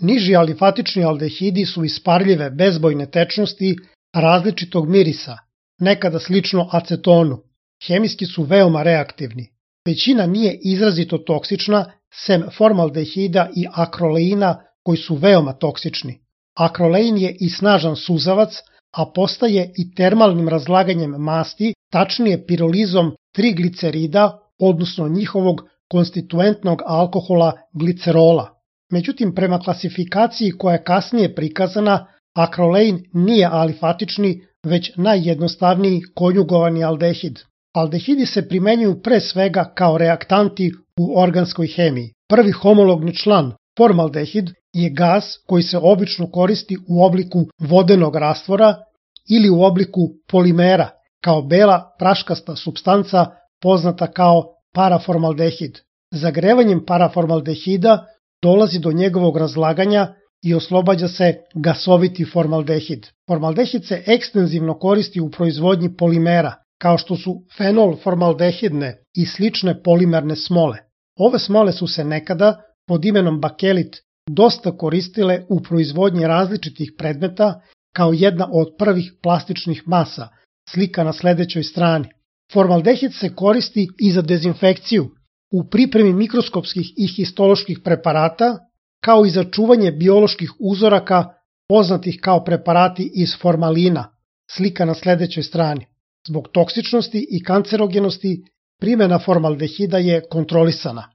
Niži alifatični aldehidi su isparljive bezbojne tečnosti različitog mirisa, nekada slično acetonu. Hemijski su veoma reaktivni. Većina nije izrazito toksična, sem formaldehida i akroleina koji su veoma toksični. Akrolein je i snažan suzavac, a postaje i termalnim razlaganjem masti, tačnije pirolizom triglicerida, odnosno njihovog konstituentnog alkohola glicerola. Međutim, prema klasifikaciji koja je kasnije prikazana, akrolein nije alifatični, već najjednostavniji konjugovani aldehid. Aldehidi se primenjuju pre svega kao reaktanti u organskoj hemiji. Prvi homologni član, formaldehid, je gas koji se obično koristi u obliku vodenog rastvora ili u obliku polimera, kao bela praškasta supstanca poznata kao paraformaldehid. Zagrevanjem paraformaldehida dolazi do njegovog razlaganja i oslobađa se gasoviti formaldehid. Formaldehid se ekstenzivno koristi u proizvodnji polimera, kao što su fenolformaldehidne i slične polimerne smole. Ove smole su se nekada, pod imenom bakelit, dosta koristile u proizvodnji različitih predmeta kao jedna od prvih plastičnih masa, slika na sledećoj strani. Formaldehid se koristi i za dezinfekciju, u pripremi mikroskopskih i histoloških preparata, kao i za čuvanje bioloških uzoraka poznatih kao preparati iz formalina, slika na sledećoj strani. Zbog toksičnosti i kancerogenosti, primjena formaldehida je kontrolisana.